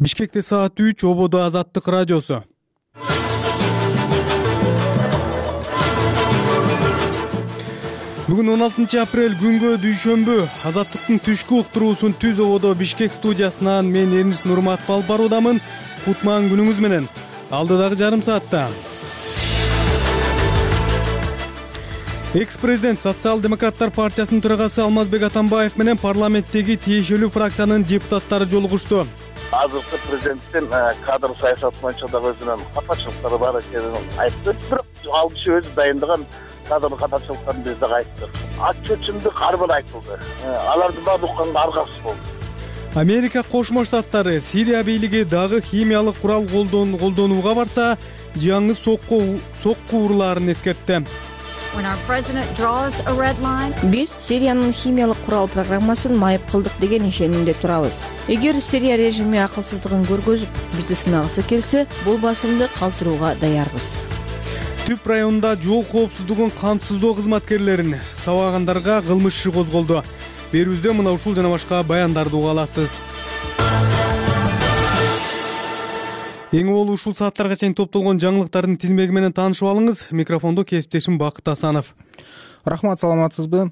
Бишкекте саат 3, ободо Азаттык радиосу. Бүгүн 16 апрель күнгө дүйшөмбү. Азаттыктын түшкү уктуруусун түз ободо Бишкек студиясынан мен Эрнис Нурматов алып баруудамын. Кутман күнүңүз менен. Алдыдагы жарым саатта экс-президент Социал-демократтар партиясынын төрагасы Алмазбек Атамбаев менен парламенттеги тиешелүү фракциянын депутаттары жолугушту. Азыркы президенттин кадр саясаты боюнча дагы өзүнүн катачылыктары бар экенин айтты. Бирок ал киши өзү дайындаган кадр катачылыктарын биз дагы айттык. Ачуу-чындык ар бир айтылды. Алардын баары укканга аргасыз болду. Америка Кошмо Штаттары Сирия бийлиги дагы химиялык курал колдонууга барса, жаңы сокку урууларын эскертти. Биз Сириянын химиялык курал программасын майып кылдык деген ишенимде турабыз. Эгер Сирия режими акылсыздыгын көргөзүп, бизди сынагысы келсе, бул басымды калтырууга даярбыз. Түп районунда жол коопсуздугун камсыздоо кызматкерлерин сабагандарга кылмыш иши козголду. Берүүбүздө мына ушул жана башка баяндарды уга аласыз. Эң болуу ушул сааттарга чейин топтолгон жаңылыктардын тизмеги менен таанышып алыңыз. Микрофондо кесиптешим Бакыт Асанов. Рахмат, саламатсызбы?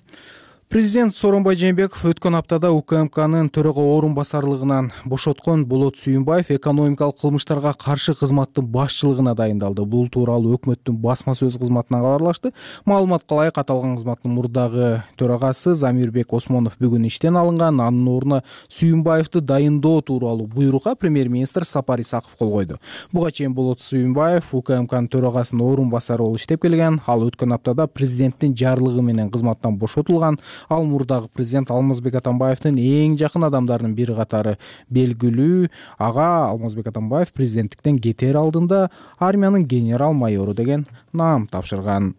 Президент Сооронбай Жээнбеков өткөн аптада УКМКнын төрага орун басарлыгынан бошоткон Болот Сүйүнбаев экономикалык кылмыштарга каршы кызматтын башчылыгына дайындалды. Бул тууралуу өкмөттүн басма сөз кызматынан кабарлашты. Маалыматка ылайык, аталган кызматтын мурдагы төрагасы Замирбек Осмонов бүгүн иштен алынган. Анын ордуна Сүйүнбаевди дайындоо тууралуу буйрукка премьер-министр Сапар Исаков кол койду. Буга чейин Болот Сүйүнбаев УКМКнын төрагасынын орун басары болуп иштеп келген. Ал өткөн аптада президенттин жарлыгы менен кызматтан бошотулган. Ал мурдагы президент Алмазбек Атамбаевдин эң жакын адамдарынын бири катары белгилүү. Ага Алмазбек Атамбаев президенттиктен кетер алдында армиянын генерал-майору деген наам тапшырган.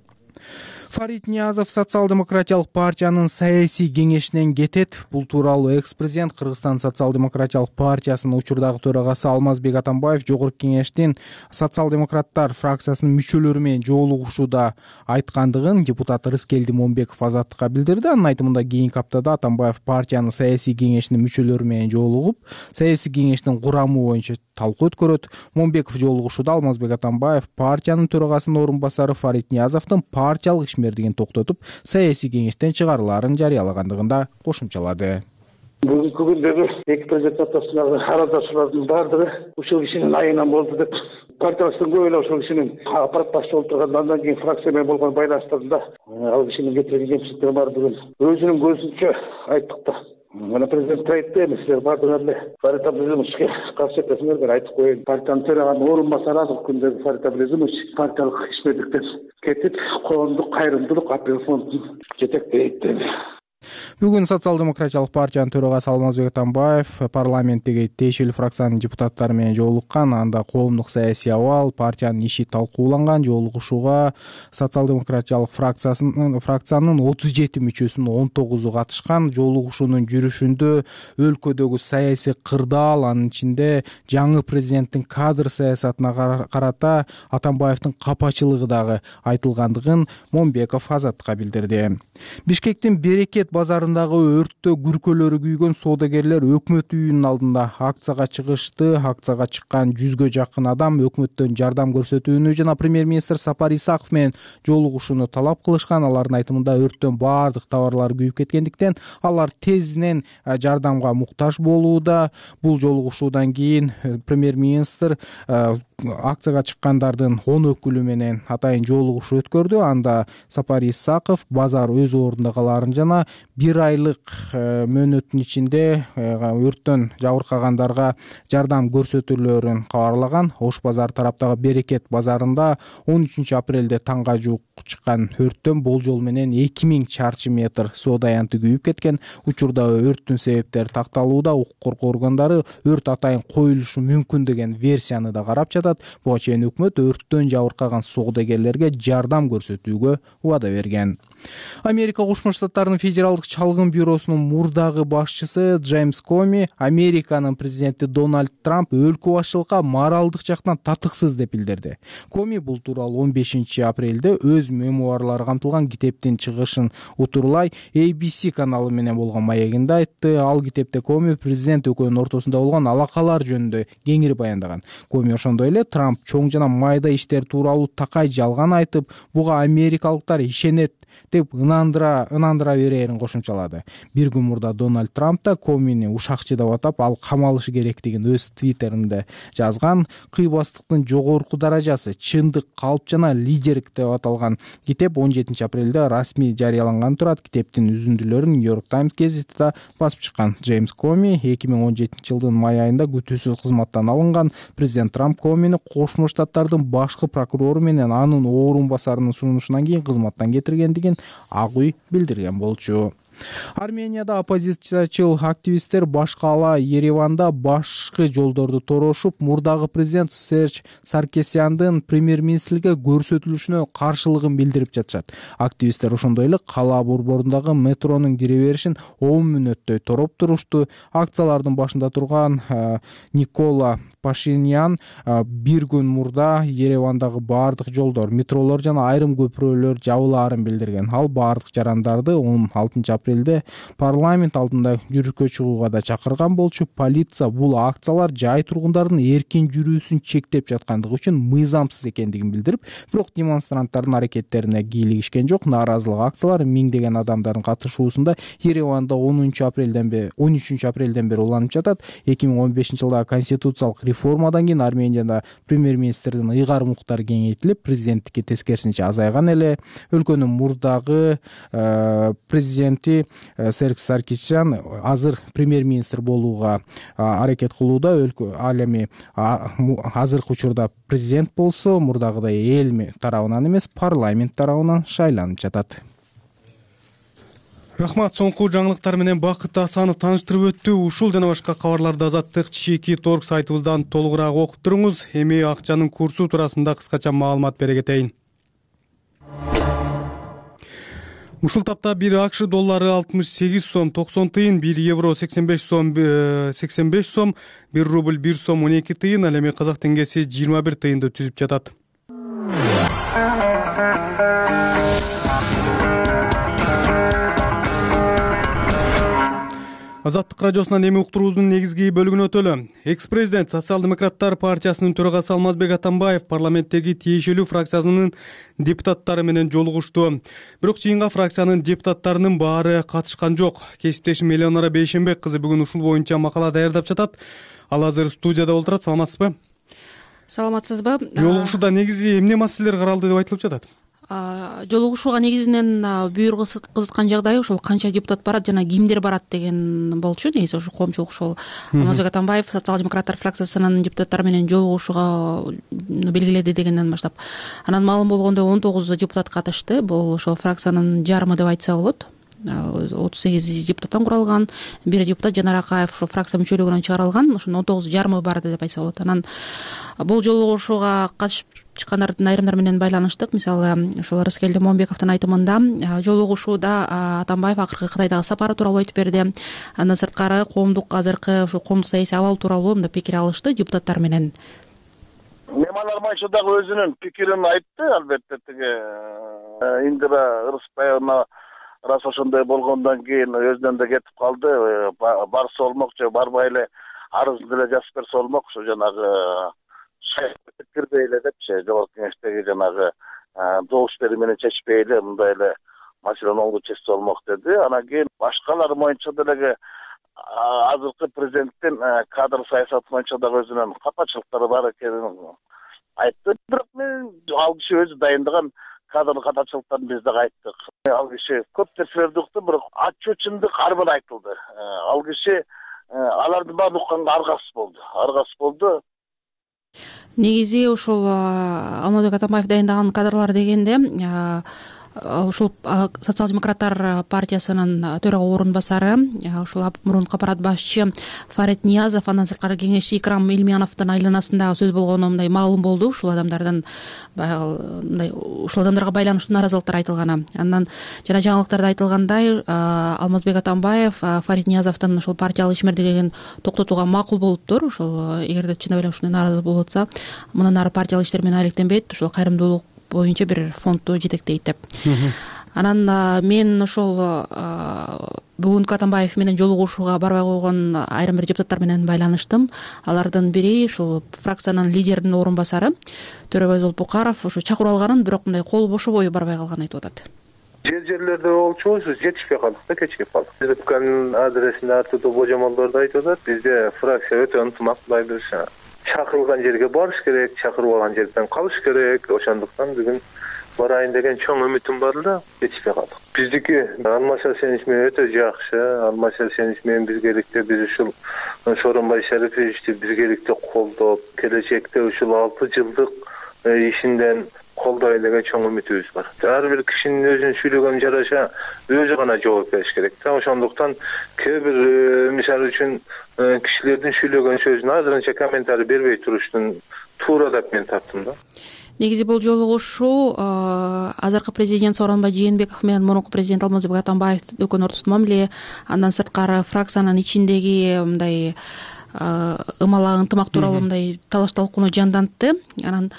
Фарид Ниязов Социал-демократиялык партиянын саясий кеңешинен кетет. Бул тууралуу экс-президент Кыргызстан Социал-демократиялык партиясынын учурдагы төрагасы Алмазбек Атамбаев жогорку кеңештин социал-демократтар фракциясынын мүчөлөрү менен жолугушууда айткандыгын депутат Рыскелди Момбеков Азаттыкка билдирди. Анын айтымында кийинки аптада Атамбаев партиянын саясий кеңешинин мүчөлөрү менен жолугуп, саясий кеңештин курамы боюнча талкуу өткөрөт. Момбеков жолугушууда Алмазбек Атамбаев партиянын төрагасынын орун басары Фарид Ниязовдун партиялык ишмердигин токтотуп, саясий кеңештен чыгарылаарын жарыялагандыгын да кошумчалады. Бүгүнкү күндөгү эки президент ортосундагы аралашуулардын баардыгы ушул кишинин айынан болду деп партиябыздын көп эле ушул кишинин аппарат башчы болуп турганда, андан кийин фракция менен болгон байланыштарында ал кишинин кетирген кемчиликтери бар бүгүн өзүнүн көзүнчө айттык да. Мына президент айтты, силер баардыгыңар эле Фарид Абдулазимовичке каршы этесиңер, мен айтып коеюн. Партиянын төраганын орун басары азыркы күндөгү Фарид Абдулазимович партиялык ишмердиктен кетип, коомдук кайрымдуулук апел фондун жетектейт деди. Бүгүн Социал-демократиялык партиянын төрагасы Алмазбек Атамбаев парламенттеги тиешелүү фракциянын депутаттары менен жолуккан. Анда коомдук саясий абал, партиянын иши талкууланган. Жолугушууга Социал-демократиялык фракциянын 37 мүчөсүнүн 19-у катышкан. Жолугушуунун жүрүшүндө өлкөдөгү саясий кырдаал, анын ичинде жаңы президенттин кадр саясатына карата Атамбаевдин капачылыгы дагы айтылгандыгын Момбеков Азаттыкка билдирди. Бишкектин Берекет базарындагы өрттө күркөлөрү күйгөн соодагерлер өкмөт үйүнүн алдында акцияга чыгышты. Акцияга чыккан 100гө жакын адам өкмөттөн жардам көрсөтүүнү жана премьер-министр Сапар Исаков менен жолугушууну талап кылышкан. Алардын айтымында өрттөн баардык товарлар күйүп кеткендиктен алар тезинен жардамга муктаж болууда. Бул жолугушуудан кийин премьер-министр акцияга чыккандардын 10 өкүлү менен атайын жолугушуу өткөрдү. Анда Сапар Исаков базар өз ордунда калаарын жана 1 айлык мөөнөттүн ичинде өрттөн жабыркагандарга жардам көрсөтүлөрүн кабарлаган. Ош базар тараптагы Берекет базарында 13 апрелде таңга жуук чыккан өрттөн болжол менен 2000 чарчы метр соода аянты күйүп кеткен. Учурда өрттүн себептери такталууда. Укук коргоо органдары өрт атайын коюлушу мүмкүн деген версияны да карап жатат. Буга чейин өкмөт өрттөн жабыркаган соодагерлерге жардам көрсөтүүгө убада берген. Америка Кошмо Штаттарынын федералдык чалгын бюросунун мурдагы башчысы Джеймс Коми Американын президенти Дональд Трамп өлкө башчылыкка моралдык жактан татыксыз деп билдирди. Коми бул тууралуу 15 апрелде өз мемуарлары камтылган китептин чыгышын утурлай ABC каналы менен болгон маегинде айтты. Ал китепте Коми президент экөөнүн ортосунда болгон алакалар жөнүндө кеңири баяндаган. Коми ошондой эле Трамп чоң жана майда иштер тууралуу такай жалган айтып, буга америкалыктар ишенет деп ынандыра берерин кошумчалады. Бир күн мурда Дональд Трамп да Комини ушакчы деп атап, ал камалышы керектигин өз твиттеринде жазган. Кыйбастыктын жогорку даражасы, чындык, калп жана лидерлик деп аталган китеп 17 апрелде расмий жарыяланган турат. Китептин үзүндүлөрүн Нью-Йорк Таймс гезитиде басып чыккан. Джеймс Коми 2017 жылдын май айында күтүүсүз кызматтан алынган. Президент Трамп Комини Кошмо Штаттардын башкы прокурору менен анын орун басарынын сунушунан кийин кызматтан кетиргендигин Ак үй билдирген болчу. Арменияда оппозициячыл активисттер баш каала Ереванда башкы жолдорду торошуп, мурдагы президент Серж Саркисяндын премьер-министрликке көрсөтүлүшүнө каршылыгын билдирип жатышат. Активисттер ошондой эле кала борборундагы метронун кире беришин 10 мүнөттөй тороп турушту. Акциялардын башында турган Никола Пашинян бир күн мурда Еревандагы баардык жолдор, метролор жана айрым көпүрөлөр жабылаарын билдирген. Ал баардык жарандарды 16 апрелде парламент алдында жүрүшкө чыгууга да чакырган болчу. Полиция бул акциялар жай тургундардын эркин жүрүүсүн чектеп жаткандыгы үчүн мыйзамсыз экендигин билдирип, бирок демонстранттардын аракеттерине кийлигишкен жок. Нааразылык акциялар миңдеген адамдардын катышуусунда Ереванда 13 апрелден бери уланып жатат. 2015 жылдагы конституциялык реформадан кийин Арменияда премьер-министрдин ыйгар муктары кеңейтилип, президенттикке тескерисинче азайган эле. Өлкөнүн мурдагы президенти Серж Саркисян азыр премьер-министр болууга аракет кылууда. Ал эми азыркы учурда президент болсо, мурдагыдай эл тарабынан эмес, парламент тарабынан шайланып жатат. Рахмат. Соңку жаңылыктар менен Бакыт Асанов тааныштырып өттү. Ушул жана башка кабарларды Азаттык /Торг сайтыбыздан толугураак окуп туруңуз. Эми акчанын курсу туурасында кыскача маалымат бере кетейин. Ушул тапта 1 АКШ доллары 68 сом 90 тыйын, 1 евро 85 сом 1 рубль 1 сом 12 тыйын, ал эми казак теңгеси 21 тыйынды түзүп жатат. Азаттык радиосунан эми уктуруубуздун негизги бөлүгүнө өтөлү. Экс-президент Социал-демократтар партиясынын төрагасы Алмазбек Атамбаев парламенттеги тиешелүү фракциясынын депутаттары менен жолугушту. Бирок жыйынга фракциянын депутаттарынын баары катышкан жок. Кесиптешим Элеонора Бейшенбек кызы бүгүн ушул боюнча макала даярдап жатат. Ал азыр студияда отурат. Саламатсызбы? Саламатсызбы? Жолугушууда негизи эмне маселелер каралды деп айтылып жатат? Жолугушууга негизинен бүйүр кызыткан жагдай ошол канча депутат барат жана кимдер барат деген болчу. Негизи ошол коомчулук ошол Алмазбек Атамбаев социал-демократтар фракциясынын депутаттары менен жолугушууга белгиледи дегенден баштап. Анан маалым болгондой 19 депутат катышты. Бул ошол фракциянын жарымы деп айтса болот. 38 депутаттан куралган. Бир депутат Жанар Акаев ошол фракция мүчөлүгүнөн чыгарылган. Ошондо 19 жарымы барды деп айтса болот. Анан бул жолугушууга катышып чыккандардын айрымдары менен байланыштык. Мисалы, ошол Рыскелди Момбековдун айтымында жолугушууда Атамбаев акыркы Кытайдагы сапары тууралуу айтып берди. Андан сырткары азыркы ошо коомдук саясий абал тууралуу мындай пикир алышты депутаттар менен. Мемалармайчы дагы өзүнүн пикирин айтты. Албетте тиги Индира Ырысбаевна рас ошондой болгондон кийин өзүнөн да кетип калды. Барса болмок же барбай эле арызын деле жазып берсе болмок. Ошо жанагы кирбей эле депчи, жогорку кеңештеги жанагы добуш берүү менен чечпей эле мындай эле маселени оңдо чечсе болмок деди. Анан кийин башкалар боюнча деле азыркы президенттин кадр саясаты боюнча дагы өзүнүн капачылыктары бар экенин айтты. Бирок мен ал киши өзү дайындаган кадр катачылыктарын биз дагы айттык. Ал киши көп нерселерди укту, бирок ачуу чындык ар бир айтылды. Ал киши алардын баарын укканга аргасыз болду. Негизи ошол Алмазбек Атамбаев дайындаган кадрлар дегенде ушул социал демократтар партиясынын төрага орун басары ушул мурунку аппарат башчы Фарид Ниязов, андан сырткары кеңешчи Икрам Элмияновдун айланасында сөз болгону мындай маалым болду. Ушул адамдардан мындай ушул адамдарга байланыштуу нааразылыктар айтылганы. Андан жана жаңылыктарда айтылгандай, Алмазбек Атамбаев Фарид Ниязовдун ушул партиялык ишмердүүлүгүн токтотууга макул болуптур. Ошол эгерде чындап эле ушундай нааразы болуп атса, мындан ары партиялык иштер менен алектенбейт, ушул кайрымдуулук боюнча бир фондду жетектейт деп. Анан мен ошол бүгүнкү Атамбаев менен жолугушууга барбай койгон айрым бир депутаттар менен байланыштым. Алардын бири ушул фракциянын лидеринин орун басары Төрөбай Золпукаров ушу чакырып алганын, бирок мындай кол бошобой барбай калганын айтып атат. Жерлерде болчубуз, жетишпей калдык да, кечигип калдык. РБКнын адресинде ар түрдүү божомолдорду айтып атат. Бизде фракция өтө ынтымактуулайбыз. Чакырылган жерге барыш керек, чакырбаган жерден калыш керек. Ошондуктан бүгүн барайын деген чоң үмүтүм бар да, жетишпей калдык. Биздики Алмазбек Сенич менен өтө жакшы. Алмазбек Сенич менен биргеликте биз ушул Сооронбай Шариповичти биргеликте колдоп, келечекте ушул 6 жылдык ишинден колдойт деген чоң үмүтүбүз бар. Ар бир кишинин өзүнүн сүйлөгөнүн жараша өзү гана жооп бериш керек да. Ошондуктан кээ бир мисалы үчүн кишилердин сүйлөгөн сөзүнө азырынча комментарий бербей туруштун туура деп мен таптым да. Негизи бул жолугушуу азыркы президент Сооронбай Жээнбеков менен мурунку президент Алмазбек Атамбаев экөөнүн ортосунда мамиле, андан сырткары фракциянын ичиндеги мындай ымала ынтымак тууралуу мындай талаш талкууну жандантты. Анан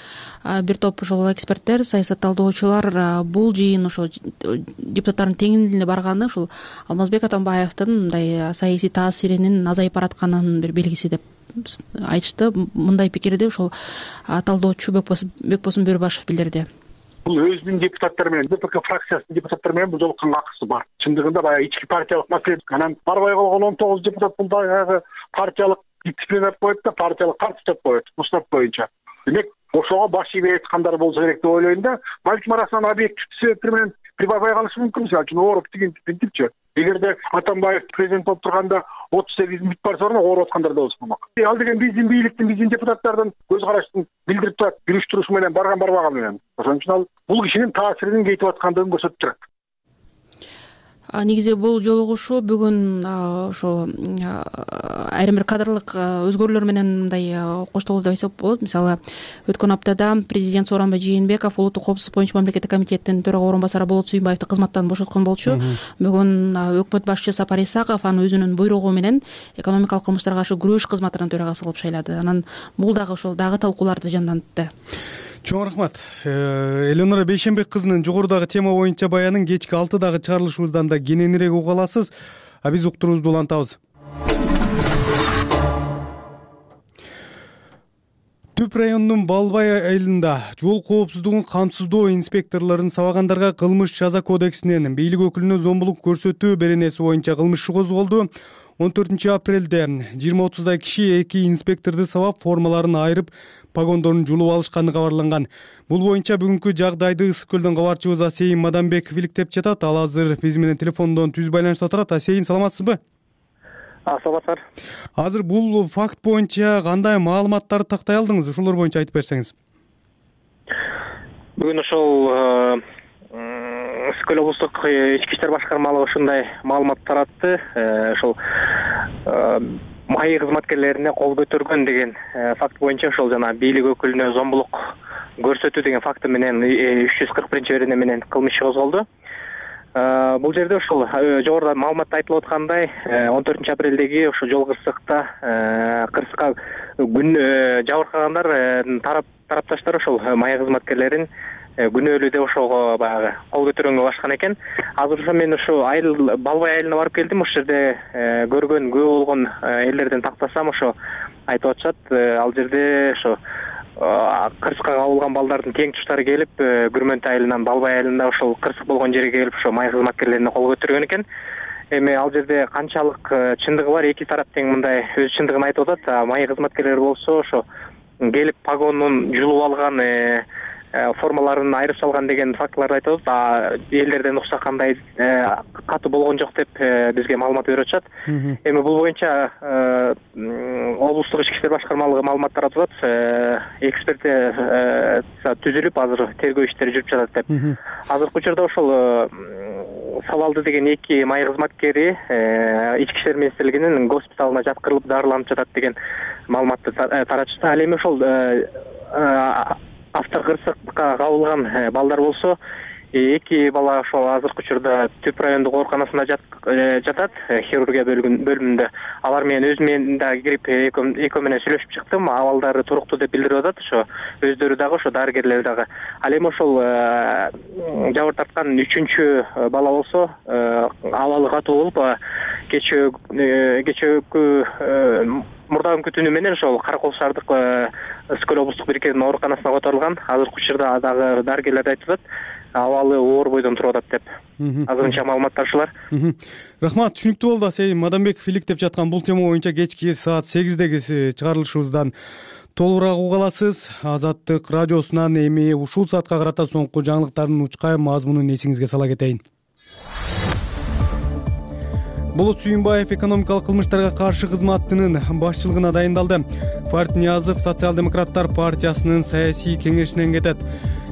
бир топ ошол эксперттер, саясат талдоочулар бул жыйын ошо депутаттардын теңдигине барганы ушул Алмазбек Атамбаевдин мындай саясий таасиринин азайып баратканынын бир белгиси деп айтышты. Мындай пикирди ошол талдоочу Бекбосун Бөрүбашев билдирди. Бул өзүнүн депутаттары менен, ДПК фракциясынын депутаттары менен бул жолуккан акысы бар. Чындыгында баягы ички партиялык маселе. Анан барбай калган 19 депутат бул баягы партиялык дисциплина деп коет да, партиялык карточка деп коет, устав боюнча. Демек, ошого баш ийбей айткандар болсо керек деп ойлойм да. Балким арасынан объективдүү себептер менен прибавай калышы мүмкүн. Мисалы үчүн ооруп деген принципчи. Эгерде Атамбаев президент болуп турганда 38 мүт бар сорун ооруп аткандар да болсо болмок. Ал деген биздин бийликтин, биздин депутаттардын көз караштын билдирип турат, жүрүш-турушу менен барбаганы менен. Ошон үчүн ал бул кишинин таасиринин кетип аткандыгын көрсөтүп турат. Негизи бул жолугушуу бүгүн ошол айрым бир кадрлык өзгөрүүлөр менен мындай коштолду деп айтсак болот. Мисалы, өткөн аптада президент Сооронбай Жээнбеков улуттук коопсуздук боюнча мамлекеттик комитеттин төрага орун басары Болот Сүйүнбаевди кызматтан бошоткон болчу. Бүгүн өкмөт башчысы Сапар Исаков аны өзүнүн буйругу менен экономикалык кылмыштарга каршы күрөш кызматынын төрагасы кылып шайлады. Анан бул дагы ошол талкууларды жандантты. Чоң рахмат. Элеонора Бейшенбек кызынын жогорудагы тема боюнча баянын кечки 6-дагы чыгарылышыбыздан да кененирээк уга аласыз. Биз уктуруубузду улантабыз. Түп районунун Балбай айылында жол коопсуздугун камсыздоо инспекторлорун сабагандарга кылмыш жаза кодексинен бийлик өкүлүнө зомбулук көрсөтүү беренеси боюнча кылмыш иши козголду. 14-апрелде 20-30 киши 2 инспекторду сабап, формаларын айырып, погондорун жулуп алышканы кабарланган. Бул боюнча бүгүнкү жагдайды Ысык көлдөн кабарчыбыз Асейин Мадамбеков иликтеп жатат. Ал азыр биз менен телефондон түз байланышта турат. Асейин, саламатсызбы? Саламатсыздар. Азыр бул факт боюнча кандай маалыматтарды тактай алдыңыз? Ушулор боюнча айтып берсеңиз. Бүгүн ошол Ысык көл облустук ички иштер башкармалыгы ушундай маалымат таратты. Ошол маи кызматкерлерине кол көтөргөн деген факт боюнча ошол жана бийлик өкүлүнө зомбулук көрсөтүү деген факты менен 341-берене менен кылмыш иши козголду. Бул жерде ошол жогоруда маалыматта айтылып аткандай 14-апрелдеги ошол жол кырсыкка күн жабыркагандар тарапташтар ошол маи кызматкерлерин күнөөлүү деп ошого баягы кол көтөргөнгө башкан экен. Азыр ошо мен ушу айыл Балбай айылына барып келдим. Ошол жерде көргөн, күбө болгон элдерден тактасам ошо айтып атышат. Ал жерде ошо кырсыкка кабылган балдардын тең туштары келип, Күрмөнт айылынан Балбай айылында ошол кырсык болгон жерге келип, ошо маи кызматкерлерине кол көтөргөн экен. Эми ал жерде канчалык чындыгы бар, эки тарап тең мындай өз чындыгын айтып атат. Маи кызматкерлер болсо ошо келип погонун жулуп алган, формаларын айырып салган деген фактыларды айтып атат. Элдерден укса кандай катуу болгон жок деп бизге маалымат берип атышат. Эми бул боюнча облустук ички иштер башкармалыгы маалымат таратып атат. Экспертиза түзүлүп, азыр тергөө иштери жүрүп жатат деп. Азыркы учурда ошол Сабалды деген 2 майы кызматкери ички иштер министрлигинин госпиталына жаткырылып дарыланып жатат деген маалыматты таратышты. Ал эми ошол автокырсыкка кабылган балдар болсо 2 бала ошол азыркы учурда Түп райондук ооруканасында жатат, хирургия бөлүмүндө. Алар менен дагы кирип экөө менен сүйлөшүп чыктым. Абалдары туруктуу деп билдирип атат. Ошо өздөрү дагы, ошо дарыгерлер дагы. Ал эми ошол жабыр тарткан 3-чү бала болсо абалы катуу болуп, кечээкү мурдагы түнү менен ошол Каракол шаардык Өскөл облустук бириккенин ооруканасына которулган. Азыркы учурда дагы дарыгерлер айтып атат, абалы оор бойдон туруп атат деп. Азырынча маалыматтар ушулар. Рахмат, түшүнүктүү болду. Сей Мадамбеков иликтеп жаткан бул тема боюнча кечки саат 8деги чыгарылышыбыздан толугураак уга аласыз. Азаттык радиосунан эми ушул саатка карата соңку жаңылыктардын учкай мазмунун эсиңизге сала кетейин. Болот Сүйүнбаев экономикалык кылмыштарга каршы кызматынын башчылыгына дайындалды. Фарид Ниязов Социал-демократтар партиясынын саясий кеңешинен кетет.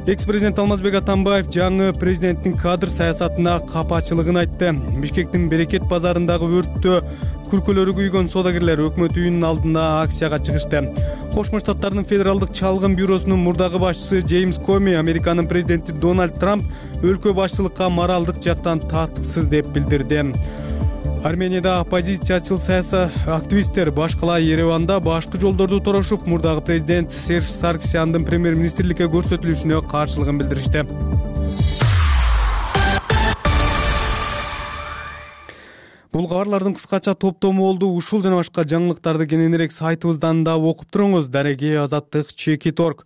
Экс-президент Алмазбек Атамбаев жаңы президенттин кадр саясатына капачылыгын айтты. Бишкектин Берекет базарындагы өрттө күркөлөрү күйгөн содагерлер өкмөт үйүнүн алдына акцияга чыгышты. Кошмо Штаттардын федералдык чалгын бюросунун мурдагы башчысы Джеймс Коми Американын президенти Дональд Трамп өлкө башчылыкка моралдык жактан татыксыз деп билдирди. Арменияда оппозициячыл саясий активисттер баш кала Ереванда башкы жолдорду торошуп, мурдагы президент Серж Сарксяндын премьер-министрликке көрсөтүлүшүнө каршылыгын билдиришти. Бул кабарлардын кыскача топтому болду. Ушул жана башка жаңылыктарды кененирээк сайтыбыздан да окуп туруңуз. Дареги Азаттык Чекит.org.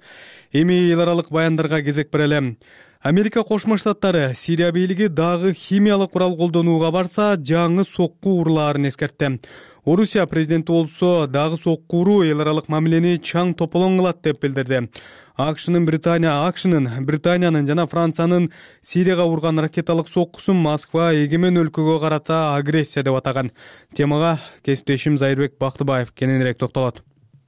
Эми эл аралык баяндарга кезек берели. Америка Кошмо Штаттары Сирия бийлиги дагы химиялык курал колдонууга барса, жаңы сокку уруулаарын эскертти. Орусия президенти болсо дагы сокку уруу эл аралык мамилени чаң тополоң кылат деп билдирди. АКШнын Британиянын жана Франциянын Сирияга урган ракеталык соккусун Москва эгемен өлкөгө карата агрессия деп атаган. Темага кесиптешим Зайырбек Бактыбаев кененирээк токтолот.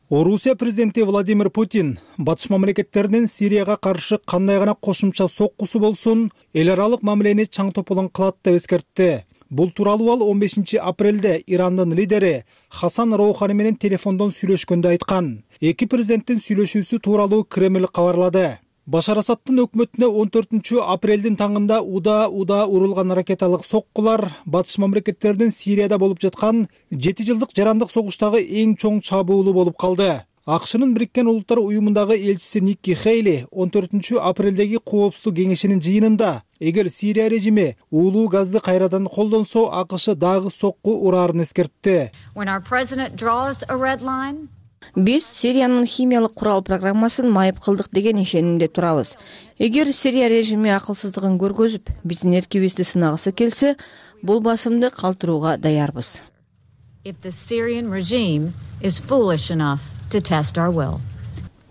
Орусия президенти Владимир Путин батыш мамлекеттеринин Сирияга каршы кандай гана кошумча соккусу болсун, эл аралык мамилени чаң тополоң кылат деп эскертти. Бул тууралуу ал 15 апрелде Ирандын лидери Хасан Роухани менен телефондон сүйлөшкөндө айткан. Эки президенттин сүйлөшүүсү тууралуу Кремль кабарлады. Башар Асадтын өкмөтүнө 14 апрелдин таңында уда урулган ракеталык соккулар батыш мамлекеттердин Сирияда болуп жаткан 7 жылдык жарандык согуштагы эң чоң чабуулу болуп калды. АКШнын Бириккен Улуттар уюмундагы элчиси Никки Хейли 14 апрелдеги Коопсуздук кеңешинин жыйынында эгер Сирия режими уулуу газды кайрадан колдонсо, АКШ дагы сокку ураарын эскертти. Биз Сириянын химиялык курал программасын майып кылдык деген ишенимде турабыз. Эгер Сирия режими акылсыздыгын көргөзүп, биздин эркибизди сынагысы келсе, бул басымды калтырууга даярбыз.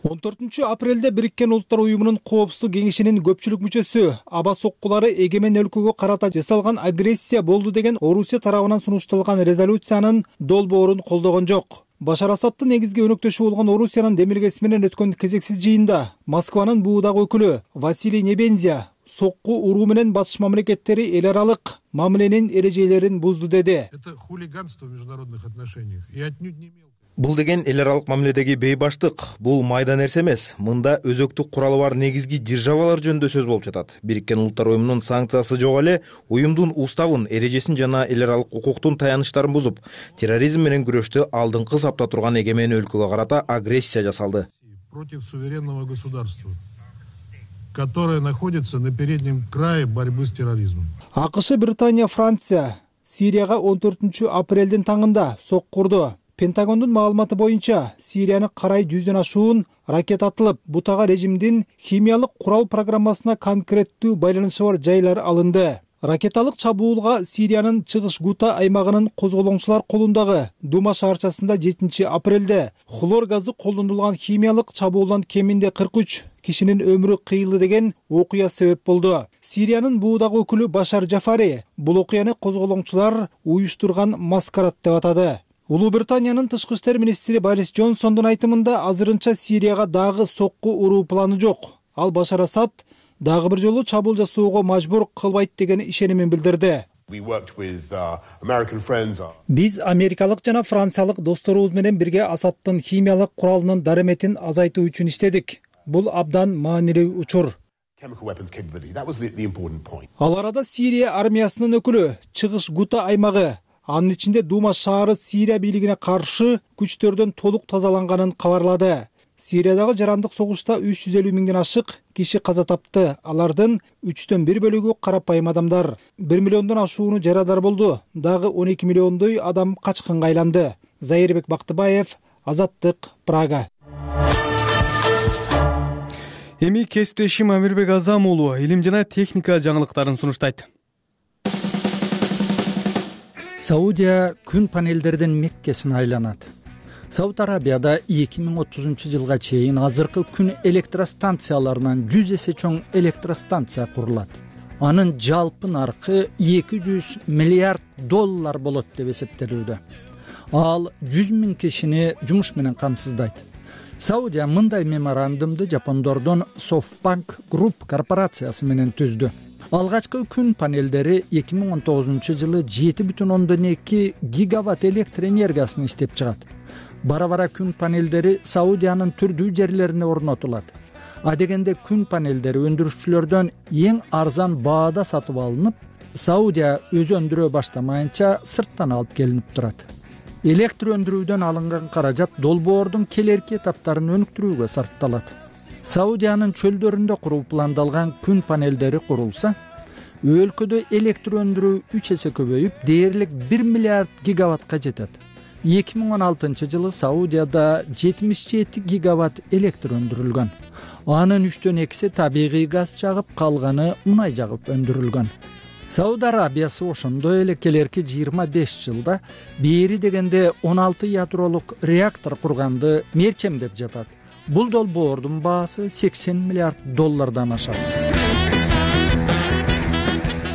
14 апрелде Бириккен Улуттар уюмунун Коопсуздук кеңешинин көпчүлүк мүчөсү аба соккулары эгемен өлкөгө карата жасалган агрессия болду деген Орусия тарабынан сунушталган резолюциянын долбоорун колдогон жок. Башар Асадтын негизги өнөктөшү болгон Орусиянын демилгеси менен өткөн кезексиз жыйында Москванын буудагы өкүлү Василий Небензя сокку уруу менен батыш мамлекеттери эл аралык мамиленин эрежелерин бузду деди. Бул деген эл аралык мамиледеги бейбаштык, бул майда нерсе эмес. Мында өзөктүк куралы бар негизги державалар жөнүндө сөз болуп жатат. Бириккен Улуттар уюмунун санкциясы жок эле уюмдун уставын, эрежесин жана эл аралык укуктун таяныштарын бузуп, терроризм менен күрөштө алдыңкы сапта турган эгемен өлкөгө карата агрессия жасалды. Против суверенного государства, которое находится на переднем крае борьбы с терроризмом. АКШ, Британия, Франция Сирияга 14 апрелдин таңында сокку урду. Пентагондун маалыматы боюнча Сирияны карай 100дөн ашуун ракета атылып, бутага режимдин химиялык курал программасына конкреттүү байланышы бар жайлар алынды. Ракеталык чабуулга Сириянын чыгыш Гута аймагынын козголоңчулар колундагы Дума шаарчасында 7 апрелде хлор газы колдонулган химиялык чабуулдан кеминде 43 кишинин өмүрү кыйылды деген окуя себеп болду. Сириянын буудагы өкүлү Башар Жафари бул окуяны козголоңчулар уюштурган маскарад деп атады. Улуу Британиянын тышкы иштер министри Борис Джонсондун айтымында азырынча Сирияга дагы сокку уруу планы жок. Ал Башар Асад дагы бир жолу чабуул жасоого мажбур кылбайт деген ишенимин билдирди. Биз америкалык жана франциялык досторубуз менен бирге Асаддын химиялык куралынын дареметин азайтуу үчүн иштедик. Бул абдан маанилүү учур. Ал арада Сирия армиясынын өкүлү чыгыш Гута аймагы, анын ичинде Дума шаары Сирия бийлигине каршы күчтөрдөн толук тазаланганын кабарлады. Сириядагы жарандык согушта 350 миңден ашык киши каза тапты. Алардын 1/3 бөлүгү карапайым адамдар. 1 миллиондон ашууну жарадар болду. Дагы 12 миллиондой адам качкынга айланды. Зайырбек Бактыбаев, Азаттык, Прага. Эми кесиптешим Амирбек Азам уулу илим жана техника жаңылыктарын сунуштайт. Саудия күн панелдердин Меккесине айланат. Сауд Арабияда 2030 жылга чейин азыркы күн электростанцияларынан 100 эсе чоң электростанция курулат. Анын жалпы наркы 200 миллиард доллар болот деп эсептелүүдө. Ал 100 миң кишини жумуш менен камсыздайт. Саудия мындай меморандумду жапондордун SoftBank Group корпорациясы менен түздү. Алгачкы күн панелдери 2019 жылы 7,2 гигаватт электр энергиясын иштеп чыгат. Бара-бара күн панелдери Саудиянын түрдүү жерлерине орнотулат. Адегенде күн панелдери өндүрүшчүлөрдөн эң арзан баада сатып алынып, Саудия өзү өндүрө баштамайынча сырттан алып келинип турат. Электр өндүрүүдөн алынган каражат долбоордун келерки этаптарын өнүктүрүүгө сарпталат. Саудиянын чөлдөрүндө куруу пландалган күн панелдери курулса, өлкөдө электр өндүрүү 3 эсе көбөйүп, дээрлик 1 миллиард гигаваттка жетет. 2016 жылы Саудияда 77 гигаватт электр өндүрүлгөн. Анын 3/2 табигый газ жагып, калганы унай жагып өндүрүлгөн. Сауд Арабиясы ошондой эле келерки 25 жылда бери дегенде 16 ядролук реактор курганды мерчемдеп жатат. Бул долбоордун баасы 80 миллиард доллардан ашат.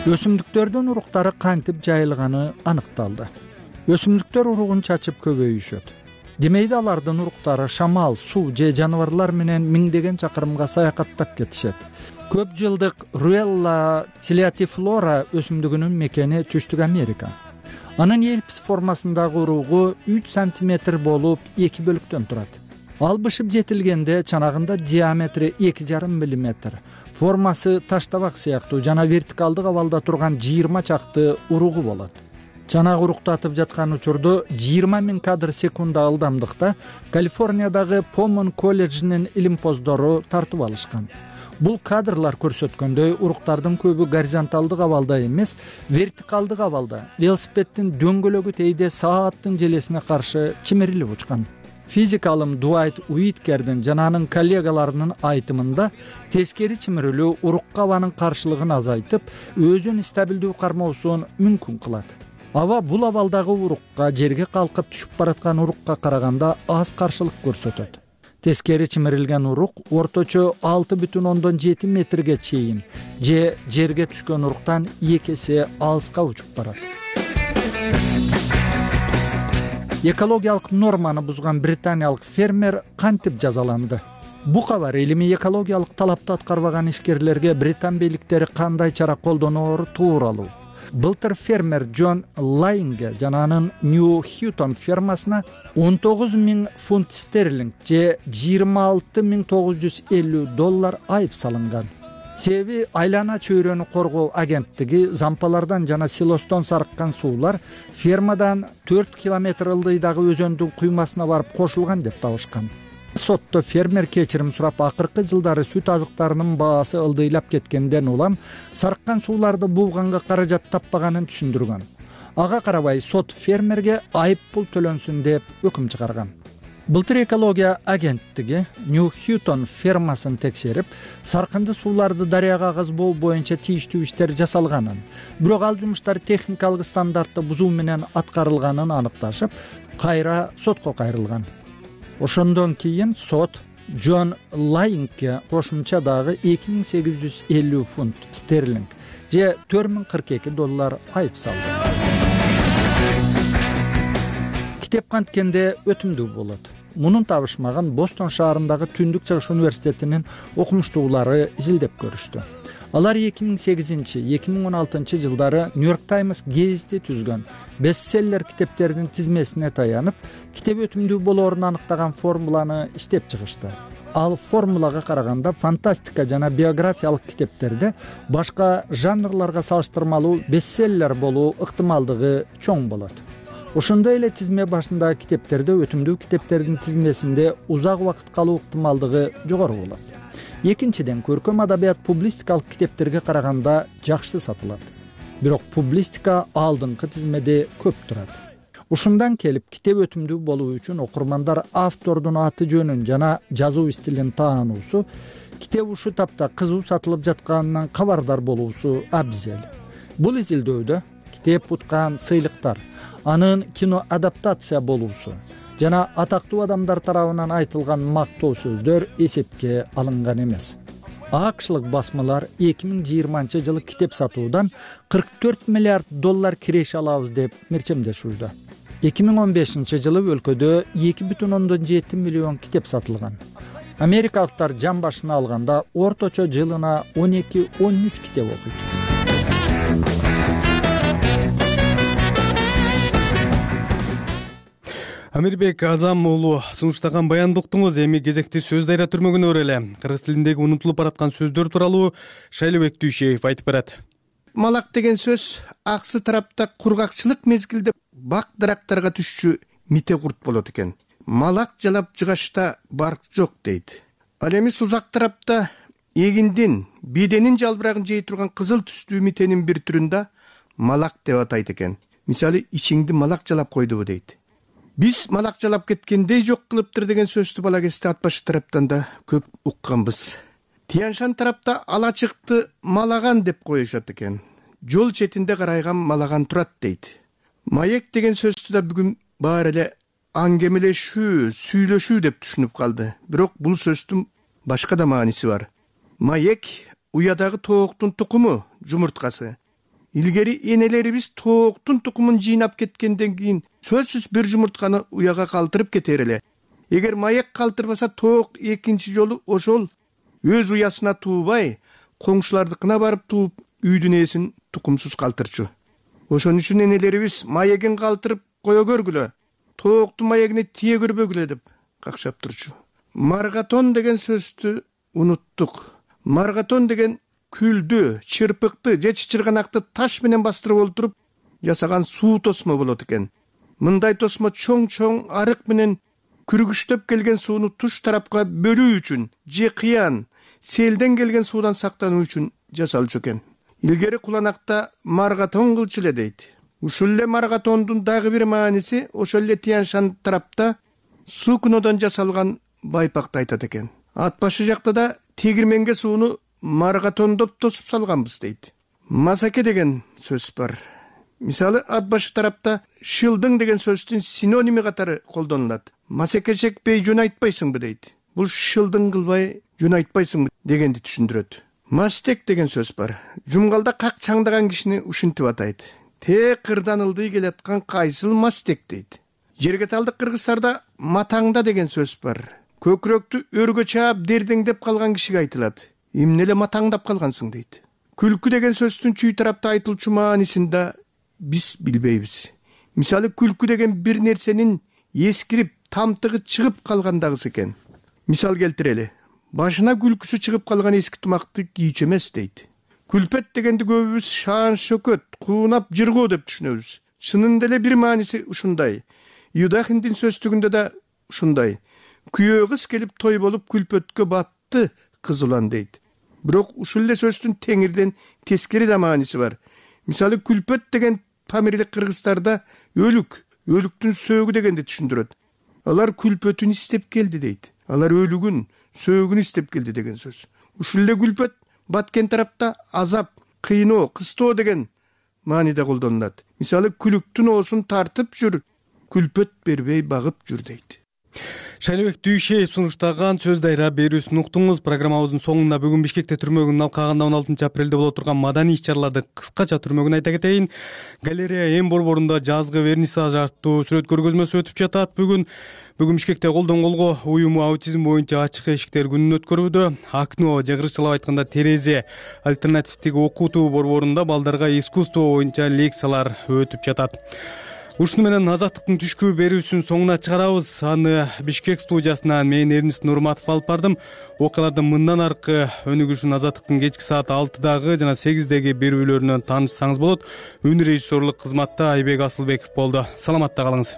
Өсүмдүктөрдүн уруктары кантип жайылганы аныкталды. Өсүмдүктөр уругун чачып көбөйүшөт. Демейде алардын уруктары шамал, суу же жаныбарлар менен миңдеген чакырымга саякаттап кетишет. Көп жылдык Ruella Tillatiflora өсүмдүгүнүн мекени Түштүк Америка. Анын элпис формасындагы уругу 3 сантиметр болуп 2 бөлүктөн турат. Ал бышып жетилгенде чанагында диаметри 2,5 мм. Формасы таштабак сыяктуу жана вертикалдык абалда турган 20 чакты уругу болот. Чанак уруктатып жаткан учурду 20 миң кадр секунда ылдамдыкта Калифорниядагы Помон колледжинин илимпоздору тартып алышкан. Бул кадрлар көрсөткөндөй уруктардын көбү горизонталдык абалда эмес, вертикалдык абалда, велосипеддин дөңгөлөгү тийде сааттын желесине каршы чимирилип учкан. Физик алым Дуайт Уиткердин жана анын коллегаларынын айтымында тескери чимирилүү урукка абанын каршылыгын азайтып, өзүн стабилдүү кармоосун мүмкүн кылат. Аба бул абалдагы урукка, жерге калкып түшүп бараткан урукка караганда аз каршылык көрсөтөт. Тескери чимирилген урук орточо 6,7 метрге чейин же жерге түшкөн уруктан 2 эсе алыска учуп барат. Экологиялык норманы бузган британиялык фермер кантип жазаланды? Бу кабар илимий экологиялык талапты аткарбаган ишкерлерге британ бийликтери кандай чара колдоноору тууралуу. Былтыр фермер Джон Лайнге жана анын Нью Хьютон фермасына 19 миң фунт стерлинг же 26,950 доллар айып салынган. Себеби айлана чөйрөнү коргоо агенттиги зампалардан жана силостон сарыккан суулар фермадан 4 километр ылдыйдагы өзөндүн куймасына барып кошулган деп табышкан. Сотто фермер кечирим сурап, акыркы жылдары сүт азыктарынын баасы ылдыйлап кеткенден улам сарыккан сууларды бууганга каражат таппаганын түшүндүргөн. Ага карабай сот фермерге айып пул төлөнсүн деп өкүм чыгарган. Былтыр экология агенттиги Нью Хьютон фермасын текшерип, саркынды сууларды дарыяга агызбоо боюнча тийиштүү иштер жасалганын, бирок ал жумуштар техникалык стандартты бузуу менен аткарылганын аныкташып, кайра сотко кайрылган. Ошондон кийин сот Джон Лайингке кошумча дагы 2850 фунт стерлинг же $4042 айып салды. Китеп канткенде өтүмдүү болот. Мунун табышмаган Бостон шаарындагы Түндүк Чыгыш университетинин окумуштуулары изилдеп көрүштү. Алар 2008-2016 жылдары New York Times гезити түзгөн бестселлер китептердин тизмесине таянып, китеп өтүмдүү болоорун аныктаган формуланы иштеп чыгышты. Ал формулага караганда фантастика жана биографиялык китептерде башка жанрларга салыштырмалуу бестселлер болуу ыктымалдыгы чоң болот. Ошондой эле тизме башындагы китептерде өтүмдүү китептердин тизмесинде узак убакыт калуу ыктымалдыгы жогору болот. Экинчиден, көркөм адабият публистикалык китептерге караганда жакшы сатылат. Бирок публистика алдыңкы тизмеде көп турат. Ушундан келип, китеп өтүмдүү болуу үчүн окурмандар автордун аты жөнүн жана жазуу стилин таануусу, китеп ушул тапта кызуу сатылып жатканынан кабардар болуусу абзел. Бул изилдөөдө китеп уткан сыйлыктар, анын кино адаптация болуусу жана атактуу адамдар тарабынан айтылган мактоо сөздөр эсепке алынган эмес. АКШлык басмалар 2020 жылы китеп сатуудан $44 миллиард киреше алабыз деп мерчемдешүүдө. 2015 жылы өлкөдө 2,7 миллион китеп сатылган. Америкалыктар жан башына алганда орточо жылына 12-13 китеп окуйт. Амирбек Азам уулу сунуштаган баяндыктыңыз эми кезекти сөз дайра түрмөгүнө өреле. Кыргыз тилиндеги унутулуп бараткан сөздөр тууралуу Шайлыбек Дүйшеев айтып берет. Малак деген сөз аксы тарапта кургакчылык мезгилде бак дарактарга түшчү мите курт болот экен. Малак жалап жыгашта барк жок дейт. Ал эми сузак тарапта эгиндин, беденин жалбырагын жей турган кызыл түстүү митенин бир түрүндө малак деп атайт экен. Мисалы, ичиңди малак жалап койдубу дейт. Биз малак жалап кеткендей жок кылыптыр деген сөздү бала кезде ат башы тараптан да көп укканбыз. Тияншан тарапта ала чыкты малаган деп коюшат экен. Жол четинде карайган малаган турат дейт. Маек деген сөздү да бүгүн баары эле аңгемелешүү, сүйлөшүү деп түшүнүп калды. Бирок бул сөздүн башка да мааниси бар. Маек уядагы тооктун тукуму, жумурткасы. Илгери энелерибиз тооктун тукумун жыйнап кеткенден кийин сөзсүз бир жумуртканы уяга калтырып кетер эле. Эгер маек калтырбаса, тоок экинчи жолу ошол өз уясына туубай, коңшулардыкына барып тууп, үйдүн ээсин тукумсуз калтырчу. Ошон үчүн энелерибиз маегин калтырып кое көргүлө, тооктун маегине тие көрбөгүлө деп какшап турчу. Маргатон деген сөздү унуттук. Маргатон деген күлдү, чырпыкты же чычырганакты таш менен бастырып олтуруп жасаган суу тосмо болот экен. Мындай тосмо чоң-чоң арык менен күргүчтөп келген сууну туш тарапка бөлүү үчүн же кыян, селден келген суудан сактануу үчүн жасалчу экен. Илгери куланакта маргатон кылчу эле дейт. Ушул эле маргатондун дагы бир мааниси ошол эле Тияншан тарапта сукнодон жасалган байпакты айтат экен. Ат башы жакта да тегирменге сууну маргатондоп тосуп салганбыз дейт. Масаке деген сөз бар. Мисалы, ат башы тарапта шылдың деген сөздүн синоними катары колдонулат. Масаке чекпей жөн айтпайсыңбы дейт. Бул шылдың кылбай жөн айтпайсыңбы дегенди түшүндүрөт. Мастек деген сөз бар. Жумгалда как чаңдаган кишини ушинтип атайт. Те кырдан ылдый келаткан кайсыл мастек дейт. Жергеталдык кыргыздарда матаңда деген сөз бар. Көкүрөктү өргө чаап дердеңдеп калган кишиге айтылат. Эмне эле матаңдап калгансың дейт. Күлкү деген сөздүн чүй тарапта айтылчу маанисин да биз билбейбиз. Мисалы, күлкү деген бир нерсенин эскирип, тамтыгы чыгып калгандагысы экен. Мисал келтирели. Башына күлкүсү чыгып калган эски тумакты кийчү эмес дейт. Күлпет дегенди көбүбүз шаан шөкөт, куунап жыргоо деп түшүнөбүз. Чынында эле бир мааниси ушундай. Юдахиндин сөздүгүндө да ушундай. Күйөө кыз келип той болуп күлпөткө батты кыз улан дейт. Бирок ушул эле сөздүн теңирден тескери да мааниси бар. Мисалы, күлпөт деген памирлик кыргыздарда өлүк, өлүктүн сөөгү дегенди түшүндүрөт. Алар күлпөтүн истеп келди дейт. Алар өлүгүн, сөөгүн истеп келди деген сөз. Ушул эле күлпөт баткен тарапта азап, кыйноо, кыстоо деген мааниде колдонулат. Мисалы, күлүктүн оосун тартып жүр, күлпөт бербей багып жүр дейт. Шайлыбек Дүйшеев сунуштаган сөз дайра берүүсүн уктуңуз. Программабыздын соңунда бүгүн Бишкекте түрмөгүн алкагында 16 апрелде боло турган маданий иш-чаралардын кыскача түрмөгүн айта кетейин. Галерея М борборунда жазгы вернисаж артуу сүрөт көргөзмөсү өтүп жатат. Бүгүн Бишкекте колдон колго уюму аутизм боюнча ачык эшиктер күнүн өткөрүүдө. Окно же кыргызчалап айтканда терезе альтернативдик окутуу борборунда балдарга искусство боюнча лекциялар өтүп жатат. Ушуну менен Азаттыктын түшкү берүүсүн соңуна чыгарабыз. Аны Бишкек студиясынан мен Эрнис Нурматов алып бардым. Окуялардын мындан аркы өнүгүшүн Азаттыктын кечки саат 6дагы жана 8деги берүүлөрүнөн таанышсаңыз болот. Үн режиссерлук кызматта Айбек Асылбеков болду. Саламатта калыңыз.